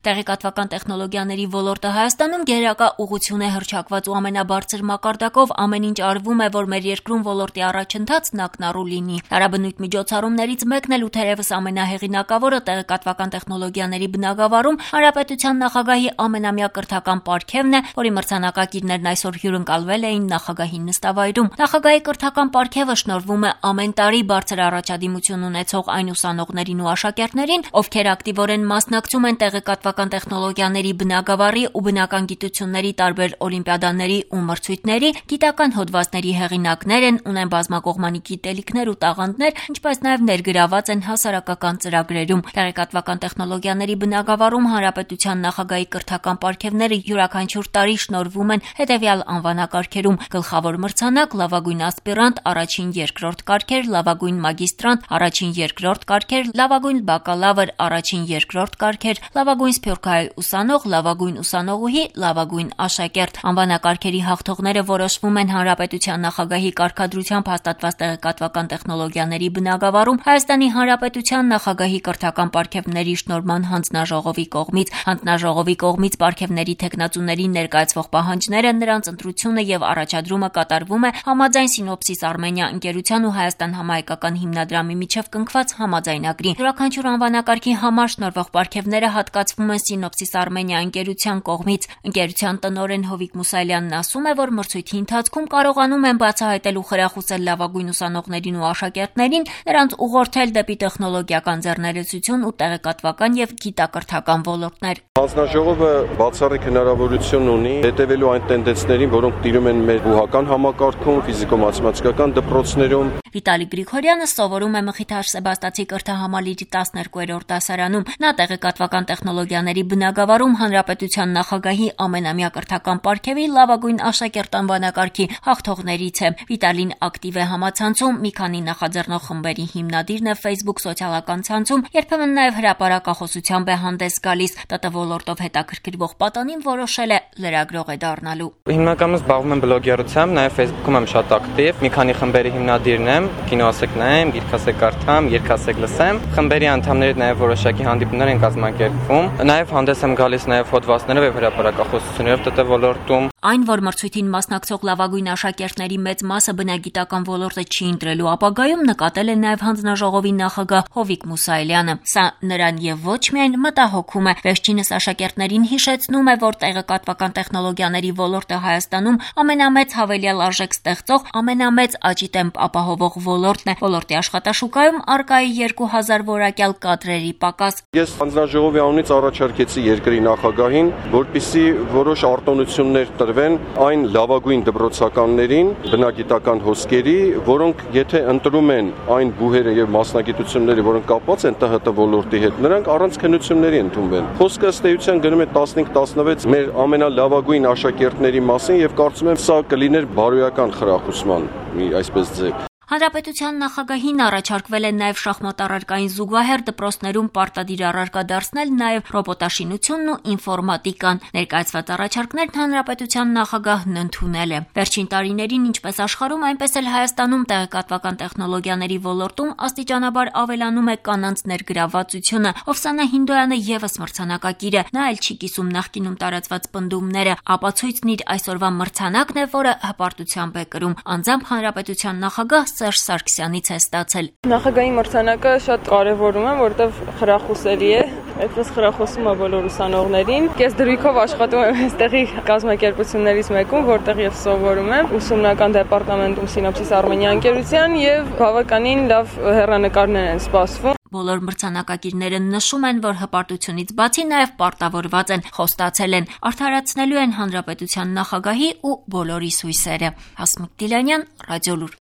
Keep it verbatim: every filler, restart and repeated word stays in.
Տեղեկատվական տեխնոլոգիաների ոլորտը Հայաստանում գերակա ուղղություն է հռչակված ու ամենաբարձր մակարդակով ամեն ինչ արվում է, որ մեր երկրում ոլորտի առաջընթացն ակնառու լինի։ Տարաբնույթ միջոցառումներից մեկն էլ ու թերևս ամենահեղինակավորը տեղեկատվական տեխնոլոգիաների բնագավառում Հանրապետության նախագահի ամենամյա կրթական պարգևն է, որի մրցանակակիրներն այսօր հյուրընկալվել էին նախագահի նստավայրում։ Նախագահի կրթական պարգևը շնորհվում է ամեն տարի բարձր առաջադիմություն ունեցող այն ուսանողներին ու աշակերտներին, ովքեր ակտիվորեն մասնակցում են տեղեկատվական տեխնոլոգիաների բնագավառի ու բնական գիտությունների տարբեր օլիմպիադաների ու մրցույթների, գիտական հոդվածների հեղինակներ են, ունեն բազմակողմանի գիտելիքներ ու տաղանդներ, ինչպես նաև ներգրաված են հասարակական ծրագրերում։ Տեղեկատվական տեխնոլոգիաների բնագավառում Հանրապետության նախագահի կրթական պարգևները յուրաքանչյուր տարի շնորհվում են հետևյալ անվանակարգերում՝ գլխավոր մրցանակ, լավագույն ասպիրանտ, առաջին երկրորդ կարգեր, լավագույն մագիստրանտ, առաջին երկրորդ կարգեր, լավագույն բակալավր, առաջին երկրորդ կարգեր, լավագույն սփյուռքահայ ուսանող, լավագույն ուսանողուհի, լավագույն աշակերտ։ Անվանակարգերի հաղթողները որոշվում են Հանրապետության նախագահի կարգադրությամբ հաստատված տեղեկատվական տեխնոլոգիաների բնագավառում Հայաստանի Հանրապետության նախագահի կրթական պարգևների շնորհման հանձնաժողովի կողմից։ Հանձնաժողովի կողմից պարգևների թեկնածուներին ներկայացվող պահանջները, նրանց ընտրությունը եւ առաջադրումը կատարվում է համաձայն Սինոպսիս Արմենիա ընկերության ու Հայաստան համահայկական հիմնադրամի միջև կնքված համաձայնագրի։ Յուրաքանչյուր անվանակարգի համար շնորհվող պարգևները հատկացվում են Սինոպսիս Արմենիա ընկերության կողմից։ Ընկերության տնօրեն Հովիկ Մուսալյանն ասում է, որ մրցույթի ընթացքում կարողանում են բացահայտել ու խրախուսել լավագույն ուսանողներին ու աշակերտներին, նրանց ուղղորդել դեպի տեխնոլոգիական ձեռներեցություն ու տեղեկատվական եւ գիտակրթական ոլորտներ։ Հանձնաժողովը բացառիկ հնարավորություն ունի հետևելու այն տենդենսներին, որոնք տիրում են մեր բուհական համակարգում, ֆիզիկո-մաթեմատիկական դպրոցներում։ Վիտալի Գրիգորյանը սովորում է Մխիթար Սեբաստացի կրթահամալիրի տասներկուերորդ դասարանում։ Նա տեղեկատվական տեխնոլոգիաների բնագավառում Հանրապետության նախագահի ամենամյա կրթական պարգևի լավագույն աշակերտ անվանակարգի հաղթողներից է։ Վիտալին ակտիվ է համացանցում, մի քանի նախաձեռնող խմբերի հիմնադիրն է Facebook սոցիալական ցանցում, երբեմն նաև հրապարակախոսությամբ է հանդես գալիս։ ՏՏ ոլորտով հետաքրքրվող պատանին որոշել է լրագրող է դառնալու։ Հիմնականում զբաղվում եմ բլոգերությամբ, նաև Facebook-ում եմ շատ ակտիվ։ Մի քանի խմբերի հիմնադիրն եմ, կինո ասեք նայեմ, գիրք ասեք կարդամ, երգ ասեք լսեմ։ Խմբերի անդամների նաև որոշակի հանդիպումներ են կազմակերպվում։ Նաև հանդես եմ գալիս նաև հոդվածներով եւ հրապարակախոսություններով ՏՏ ոլորտում։ Այն, որ մրցույթին մասնակցող լավագույն աշակերտների մեծ մասը բնագիտական ոլորտը չի ընտրելու ապագայում, նկատել է նաև հանձնաժողովի նախագահ Հովիկ Մուսայելյանը։ Սա նրան եւ ոչ միայն մտահոգում է։ Վերջինս աշակերտներին հիշեցնում է, որ տեղեկատվական տեխնոլոգիաների ոլորտը Հայաստանում ամենամեծ հավելյալ արժեք ստեղծող, ամենամեծ աճի տեմպ ապահովող ոլորտն է։ Ոլորտի աշխատաշուկայում առկա է երկու հազար որակյալ կադրերի պակաս։ Ես հանձնաժողովի անունից առաջարկեցի երկրի նախագահին, որպեսզի որոշ արտոնություններ տրվեն այն լավագույն դպրոցականներին, բնագիտական հոսքերի, որոնք եթե ընտրում են այն բուհերը եւ մասնագիտությունները, որոնք կապված են ՏՀՏ ոլորտի հետ, նրանք առանց քննությունների ընդունվեն։ Խոսքը ըստ էության գնում է տասնհինգ տասնվեց մեր ամենալավագույն աշակերտների մասին եւ կարծում եմ սա կլիներ բարոյական խրախուսման մի այսպես ձև։ Հանրապետության նախագահին առաջարկվել է նաև շախմատ առարկային զուգահեռ դպրոցներում պարտադիր առարկա դարձնել նաև ռոբոտաշինությունն ու ինֆորմատիկան։ Ներկայացված առաջարկներն Հանրապետության նախագահն ընդունել է։ Վերջին տարիներին ինչպես աշխարհում, այնպես էլ Հայաստանում տեղեկատվական տեխնոլոգիաների ոլորտում աստիճանաբար ավելանում է կանանց ներգրավվածությունը։ Օվսանա Հինդոյանը եւս մրցանակակիր է։ Նա էլ չի կիսում նախկինում տարածված պնդումները։ Ապացույցն իր այսօրվա մրցանակն է, որը հպարտությամբ է կրում։ Անձամբ Հանրապետության նախագահ Սերժ Սարգսյանից է ստացել։ Նախագահի մրցանակը շատ կարևորում եմ, որովհետև խրախուսելի է, այդպես խրախուսում է բոլոր ուսանողներին։ Ես դրույքով աշխատում եմ այստեղի կազմակերպություններից մեկում, որտեղ ես սովորում եմ ուսումնական դեպարտամենտում Սինոպսիս Արմենիա ընկերության եւ բավականին լավ հեռանկարներ են սպասվում։ Բոլոր մրցանակակիրները նշում են, որ հպարտությունից բացի նաև պարտավորված են, խոստացել են, արդարացնելու են Հանրապետության նախագահի ու բոլորի հույսերը։ Հասմիկ Դիլանյան, Ռադիոլուր։